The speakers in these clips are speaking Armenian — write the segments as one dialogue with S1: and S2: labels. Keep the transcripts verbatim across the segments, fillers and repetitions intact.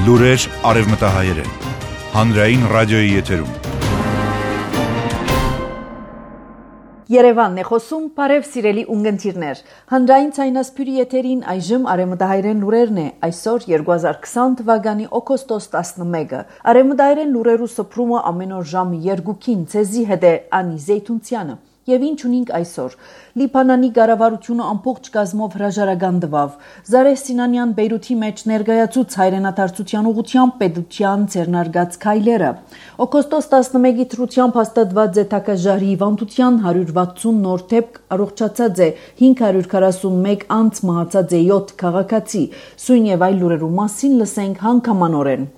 S1: Լուրեր արևմտահայերեն, հանրային ռադիոյի եթերում։
S2: Երևանն է խոսում, բարև սիրելի ունգընտիրներ։ Հանրային ցայնասփյուրի եթերին այժմ արևմտահայերեն լուրերն է, այսօր երկու հազար քսան թվականի օգոստոս տասնմեկը։ Արևմտահայերեն լուրերու սփռումը ամեն օր ժամը երկուքին ցեզի հետ է Անի Զեյթունցյանը։ Եվ ինչ ունենք այսօր։ Լիբանանի կառավարությունը ամբողջ կազմով հրաժարական տվավ։ Զարեհ Սինանյան Բեյրութի մեջ ներկայացուց հայրենադարձության ուղղությամբ պետության ձեռնարկած քայլերը։ Օգոստոս տասնմեկի թրությամբ հաստատված է Թակաժարի հիվանդության հարյուր վաթսուն նոր դեպք, առողջացած է հինգ հարյուր քառասունմեկ անց, մահացած է յոթ քաղաքացի։ Սույն եւ այլ լուրերու մասին լսենք հանգամանորեն։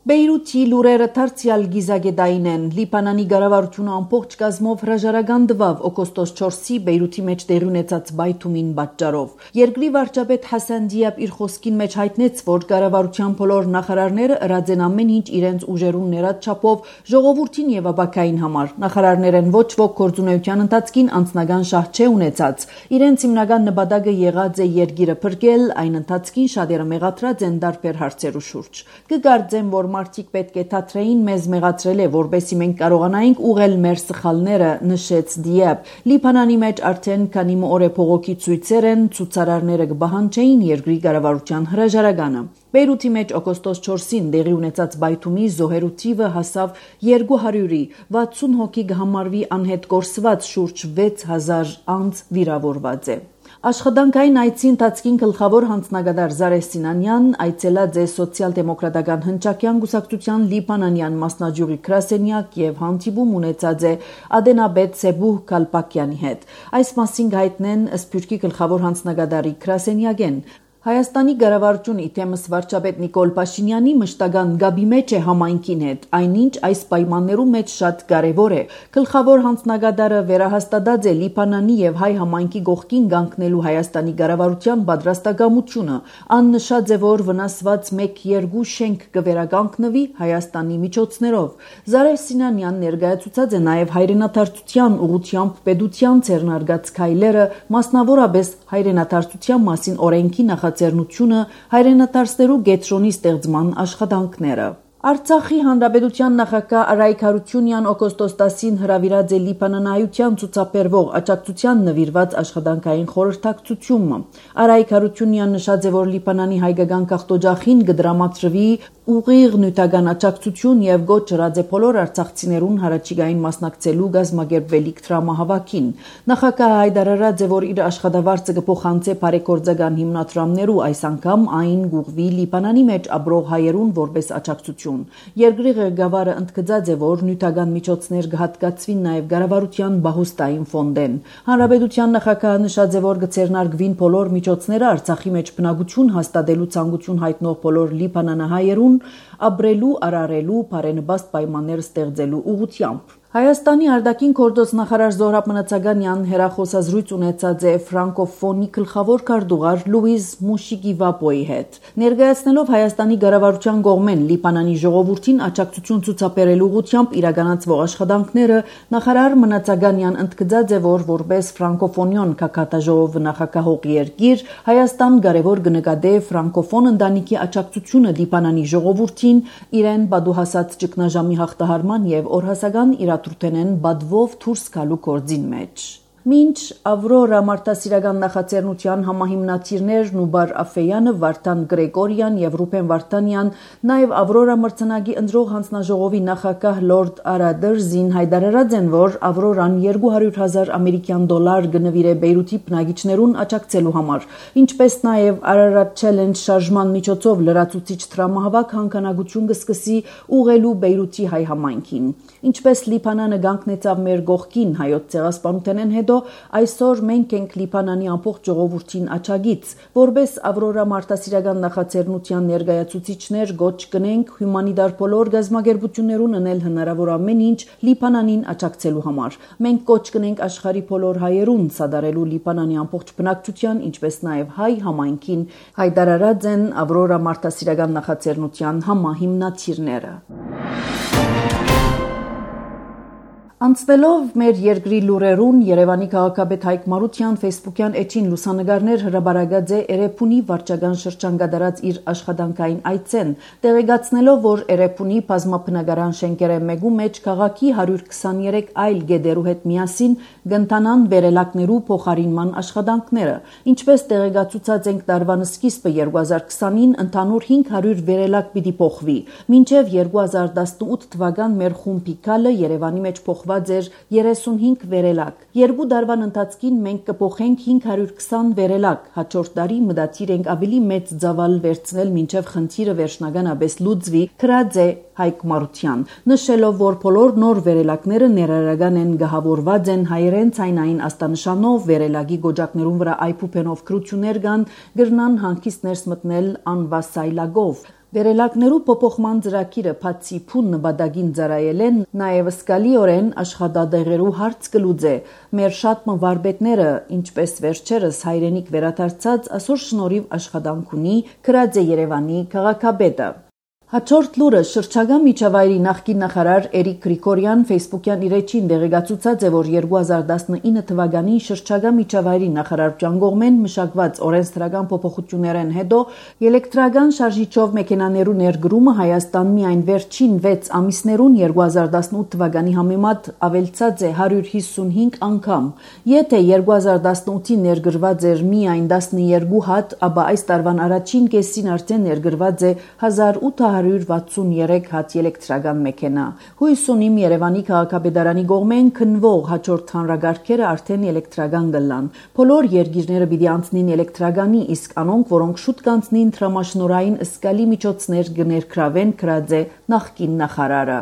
S2: Բեյրութի լուրերը դարձյալ գիզագետային են։ Լիբանանի կառավարությունը ամբողջ կազմով հրաժարական տվավ օգոստոս չորսի Բեյրութի մեջ տեղի ունեցած բայթումին պատճառով։ Երկրի վարչապետ Հասան Դիաբ իր խոսքին մեջ հայտնեց, որ կառավարության բոլոր նախարարները ըրած են ամեն ինչ իրենց ուժերուն ներած չափով ժողովրդին եւ ապակային համար։ Նախարարներն ոչ ոք գործունեության ընթացքին անձնական շահ չէ ունեցած։ Իրենց հիմնական նպատակը եղած է երկիրը փրկել, այն ընթացքին շատերը մեղադրած են տարբեր հարցերու շուրջ։ Կգարձեմ, որ մարդիկ պետք է թատրեին մեզ մեղադրել է, որպեսզի մենք կարողանայինք ուղղել մեր սխալները, նշեց Դիաբ։ Լիբանանի մեջ արդեն քանի օր է փողոքի ցույցեր են, ցուցարարները կբահանջեին երկրի կառավարության հրաժարականը։ Բեյրութի մեջ օգոստոս չորսին տեղի ունեցած բայթումի զոհերու թիվը հասավ երկու հարյուրի, վաթսուն հոգի կհամարվի անհետ կորսված, շուրջ վեց հազար անց վիրավորված է։ Աշխատանքային այցի ընթացքին գլխավոր հանձնագետար Զարեհ Սինանյան այցելած է սոցիալ-դեմոկրատական հնչակյան կուսակցության լիբանանյան մասնաճյուղի գրասենյակ եւ հանդիպում ունեցած է Ադենաբեդ Սեբուհ Կալպակյանի հետ։ Այս մասին հայտնեն Սփյուռքի գլխավոր հանձնագետարի գրասենյակեն։ Հայաստանի կառավարությունը իթեմս վարչապետ Նիկոլ Փաշինյանի մշտական գաբի մեջ է համայնքին հետ, այնինչ այս պայմաններու մեջ շատ կարևոր է։ Գլխավոր հանձնագետարը վերահաստատած է Լիբանանի եւ հայ համայնքի գողքին կանգնելու Հայաստանի կառավարության պատրաստակամությունը։ Ան նշած է, որ վնասված մեկ երկու շենք կվերականգնվի Հայաստանի միջոցներով։ Զարեհ Սինանյան ներկայացուցած է նաեւ հայրենադարձության ուղղությամբ պետության ձեռնարկած քայլերը, մասնավորապես հայրենադարձության մասին օրենքի նախ Ձեռնությունը հայրենադարձներու գետրոնի ստեղծման աշխատանքները։ Արցախի հանրապետության նախագահ Արայք Հարությունյան օգոստոս տասին հրավիրած է Լիբանանայության ցուցաբերվող աջակցության նվիրված աշխատանքային խորհրդակցությունը։ Արայք Հարությունյան նշած է, որ Լիբանանի հայկական քաղաքօջախին կդրամատրվի ուղիղ նյութական աջակցություն եւ գոչ ըրած է բոլոր արցախցիներուն հարաճիգային մասնակցելու գազմագերբվելիք դրամահավաքին։ Նախագահը հայտարարած է, որ իր աշխատավարձը կփոխանցի բարեգործական հիմնադրամներու, այս անգամ այն գուղվի Լիբանանի մեջ ապրող հայերուն որպես աջակցություն։ Երկրի ղեկավարը ընդգծած է, որ նյութական միջոցներ կհատկացվին նաև կառավարության բահուստային ֆոնդեն։ Հանրապետության նախագահը նշած է, որ կձեռնարկվին բոլոր միջոցները Արցախի մեջ բնակություն հաստատելու ցանկություն հայտնող բոլոր լիբանանահայերուն ապրելու, արարելու, բարենպաստ պայմաններ ստեղծելու ուղղությամբ։ Հայաստանի արտաքին գործոս նախարար Զոհրաբ Մնացականյան հերախոսազրույց ունեցած է ֆրանկոֆոնի գլխավոր քարտուղար Լուիզ Մուշիգիվապոյի հետ։ Ներկայացնելով Հայաստանի կառավարության կողմեն Լիբանանի ժողովրդին աջակցություն ցուցաբերելու ուղղությամբ իրականացվող աշխատանքները, նախարար Մնացականյան ընդգծած է, որ որպես ֆրանկոֆոնիոն քաղաքաժողովը նախագահող երկիր Հայաստան կարևոր կնկատե ֆրանկոֆոն ընտանիքի աջակցությունը Լիբանանի ժողովրդին իրեն բադուհասած ճգնաժամի հաղթահարման եւ օրհասական իրադրութենեն բադվով դուրս գալու գործին մեջ։ Մինչ Ավրորա մարդասիրական նախաձեռնության համահիմնադիրներ Նուբար Աֆեյանը, Վարդան Գրեգորյան եւ Ռուբեն Վարդանյան, նաեւ Ավրորա մրցանակի ընտրող հանձնաժողովի նախագահ Լորդ Արադերզին հայտարարած են, որ Ավրորան երկու հարյուր հազար ամերիկյան դոլար կնվիրե Բեյրութի բնակիչներուն աջակցելու համար, ինչպես նաեւ Ararat Challenge շարժման միջոցով լրացուցիչ դրամահավաք հանգանակություն կսկսի ուղղելու Բեյրութի հայ համայնքին։ Ինչպես Լիբանանը կանգնեցավ մեր գողքին հայոց ցեղասպանութենեն հետո, այսօր մենք ենք Լիբանանի ամբողջ ժողովրդին աջակից, որպես Ավրորա մարդասիրական նախաձեռնության ներկայացուցիչներ գոչ կնենք հումանիտար բոլոր գազམ་ագերբություններուն անել հնարավոր ամեն ինչ Լիբանանին աջակցելու համար։ Մենք կոչ կնենք աշխարհի բոլոր հայերուն սադարելու Լիբանանի ամբողջ բնակչության, ինչպես նաև հայ համայնքին, հայտարարած են Ավրորա մարդասիրական նախաձեռնության համահիմնադիրները։ Անցնելով մեր երկրի լուրերուն, Երևանի քաղաքապետ Հայկ Մարությյան ֆեյսբուքյան էջին լուսանգարներ հրաբարացած է Էրեբունի վարչական շրջան գդարած իր աշխատանքային այցեն, տեղեկացնելով, որ Էրեբունի բազմաբնակարան շենքերը մեկու մեջ քաղաքի հարյուր քսաներեք այլ գեդերու հետ միասին կընթանան վերելակներու փոխարինման աշխատանքները։ Ինչպես տեղեկացուցած ենք տարվան սկիզբը երկու հազար քսանին ընդհանուր հինգ հարյուր վերելակ պիտի փոխվի, մինչև երկու հազար տասնութ թվական մեր խումբի քալը Երևանի մեջ փոխված էր երեսունհինգ վերելակ։ Երկու դարվան ընթացքին մենք կփոխենք հինգ հարյուր քսան վերելակ։ Հաջորդ տարի մտադիր ենք ավելի մեծ ծավալ վերցնել մինչև խնդիրը վերջնականապես լուծվի, քրած է Հայկ Մարության, նշելով, որ բոլոր նոր վերելակները ներառական են գահավորված են հայերեն ցայնային աստանշանով, վերելակի գոճակներուն վրա այփուփենով քրություններ կան, գրնան հանգիստ ներս մտնել անվասայլագով։ Վերելակներու փոփոխման ծրագիրը բացի փուն նպատակին ծառայելեն, նաև սկալիորեն աշխատադեղերու հարց կլուծե։ Մեր շատ մվարպետները, ինչպես վերջերս հայրենիք վերադարձած, այսօր շնորհիվ աշխատանք ունի, քրած է Երևանի քաղաքապետը։ Հաջորդ լուրը շրջակա միջավայրի նախկին նախարար Էրիկ Գրիգորյան ֆեյսբուքյան իր էջին տեղեկացուցած է, որ երկու հազար տասնինը թվականին շրջակա միջավայրի նախարարության կողմեն մշակված օրենսդրական փոփոխություններեն հետո էլեկտրական շարժիչով մեքենաներու ներդրումը Հայաստան միայն վերջին վեց ամիսներուն երկու հազար տասնութ թվականի համեմատ ավելցած է հարյուր հիսունհինգ անգամ։ Եթե երկու հազար տասնութին ներգրված էր միայն տասնյոթ հատ, ապա այս տարվան առաջին կեսին արդեն ներգրված է հազար ութ հարյուր վաթսունյոթ հատ էլեկտրական մեքենա։ Հույս ունիմ Երևանի քաղաքապետարանի կողմեն քննվող հաջորդ հանրագարքերը արդեն էլեկտրական կլան։ Բոլոր երկիրները պիտի անցնին էլեկտրականի, իսկ անոնք, որոնք շուտ կանցնին տրամաշնորհային ըսկալի միջոցներ կներգրավեն, քրած է նախկին նախարարը։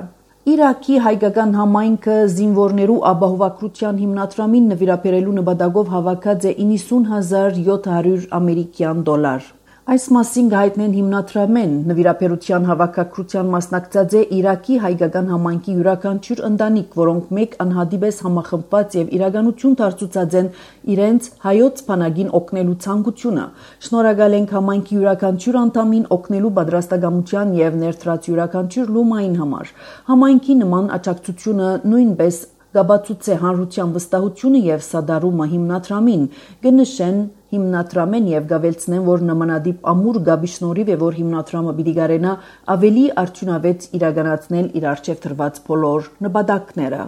S2: Իրաքի հայկական համայնքը զինվորներու ապահովագրության հիմնադրամին նվիրաբերելու նպատակով հավաքած է իննսուն հազար յոթ հարյուր ամերիկյան դոլար։ Այս մասին գայտնեն հիմնադրամեն նվիրաբերության հավաքագրության մասնակցած է Իրաքի հայկական համայնքի յուրաքանչյուր ընտանիք, որոնք մեկ անհատիպես համախմբված եւ իրականություն դարձուցած են իրենց հայոց բանակին օգնելու ցանկությունը։ Շնորհակալ ենք համայնքի յուրաքանչյուր անդամին օգնելու պատրաստակամության եւ ներդրած յուրաքանչյուր լումային համար։ Համայնքի նման աջակցությունը նույնպես գաբացուցե հանրության վստահությունը եւ սադարումը հիմնադրամին, կնշեն հիմնադրամեն եւ գավելցնեն, որ նմանատիպ ամուր գաբի շնորհիվ է, որ հիմնադրամը պիտի կարենա ավելի արդյունավետ իրականացնել իր արժեվ դրված բոլոր նպատակները։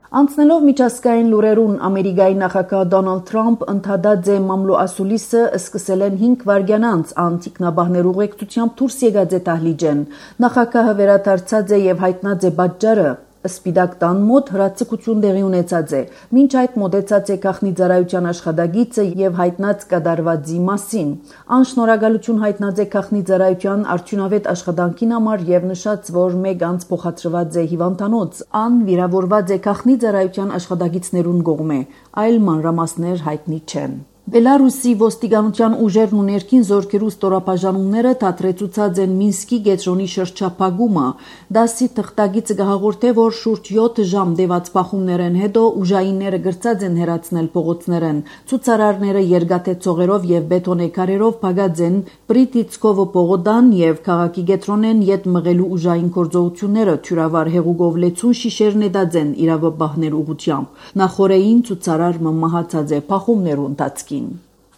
S2: Անցնելով միջազգային լուրերուն, Ամերիկայի նախագահ Դոնալդ Թրամփ ընդհատած է մամլո ասուլիսը սկսել են հինգ վայրկյան անց անտիկնաբահներու ուղեկցությամբ դուրս եկած է դահլիճեն։ Նախագահը վերադարձած է եւ հայտնած է պատճառը։ Սպիտակ տան մոտ հրացակություն տեղի ունեցած է։ Մինչ այդ մոտեցած է գաղտնի ծառայության աշխատագիծը եւ հայտնած կատարվածի մասին։ Անշնորհակալություն հայտնած է գաղտնի ծառայության արդյունավետ աշխատանքին համար եւ նշած, որ մեկ անց փոխադրված է հիվանդանոց։ Ան վիրավորված է գաղտնի ծառայության աշխատագիծներուն կողմէ, այլ մանրամասներ հայտնի չեն։ Բելարուսի ոստիկանության ուժերն ու ներքին զորքերու ստորաբաժանումները դադրեցուցած են Մինսկի գետրոնի շրջափակումը։ Դասի թղթակիցը գահաղորդե, որ շուրջ յոթ ժամ դեված բախումներեն հետո ուժայինները գրծած են հեռացնել փողոցներեն։ Ցուցարարները երկաթե ծողերով եւ բետոնե քարերով փակած են Պրիտիցկովո պողոտան եւ քաղաքի գետրոնեն յետ մղելու ուժային գործողությունները թյուրավար հեղուկով լեցուն շիշերն էդած են իրավաբաններ ուղությամբ։ Նախորեին ցուցարարը մահացած է բախումներու ընթացքին։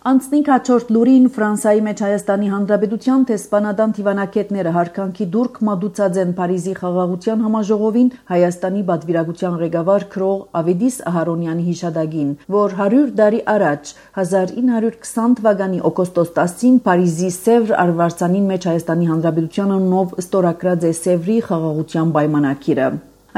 S2: Անցնենք հաջորդ լուրին Ֆրանսայի մեջ Հայաստանի Հանրապետության տեսփանադան դիվանագետները հարկանքի դուրք մատուցած են Փարիզի խաղաղության համաժողովին Հայաստանի պատվիրակության ղեկավար քրող Ավետիս Ահարոնյանի հիշադակին, որ հարյուր տարի առաջ հազար ինը հարյուր քսան թվականի օգոստոս տասին Փարիզի Սևր արվարձանին մեջ Հայաստանի Հանրապետության անունով ստորագրած է Սևրի խաղաղության պայմանագիրը։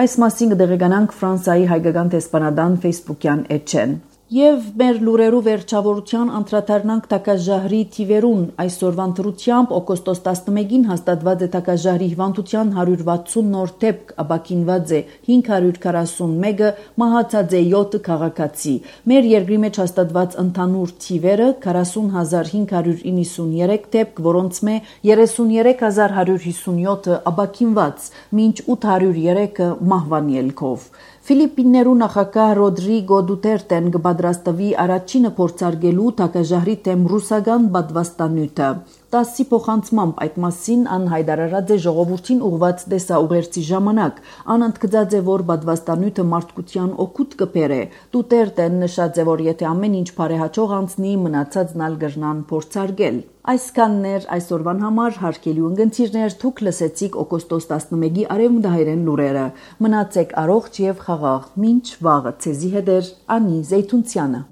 S2: Այս մասին կդեղեկանանք Ֆրանսայի հայկական տեսփանադան ֆեյսբուքյան էջեն։ Եվ մեր լուրերու վերջավորության անդրադառնանք Տակաժահրի թիվերուն։ Այսօրվան դրությամբ օգոստոս տասնմեկին հաստատված է Տակաժահրի հիվանդության հարյուր վաթսուն նոր դեպք, ապաքինված է հինգ հարյուր քառասունմեկը, մահացած է յոթ քաղաքացի։ Մեր երկրի մեջ հաստատված ընդհանուր թիվերը քառասուն հազար հինգ հարյուր իննսունյոթ դեպք, որոնց մե երեսունյոթ հազար հարյուր հիսունյոթը ապաքինված, մինչ ութ հարյուր երեքը մահվան ելքով։ Ֆիլիպիններու նախագահ Ռոդրիգո Դուտերտեն կպատրաստվի առաջինը փորձարկելու Տակաժահրի դեմ ռուսական պատվաստանյութը։ տասի փոխանցմամբ այդ մասին ան հայտարարած է ժողովրդին ուղված դեսաուղերձի ժամանակ։ Ան ընդգծած է, որ բադվաստանյութը մարդկության օգուտ կբերե։ Դուտերտեն նշած է, որ եթե ամեն ինչ բարեհաճող անցնի, մնացածն ալ կրնան փորձարկել։ Այսքանն էր այսօրվան համար, հարգելի ունգընտիրներ, դուք լսեցիք օգոստոս տասնմեկի արևմտահայերեն լուրերը։ Մնացեք առողջ եւ խաղաղ, մինչ վաղը ցեզի հետ էր Անի Զեյթունցյանը։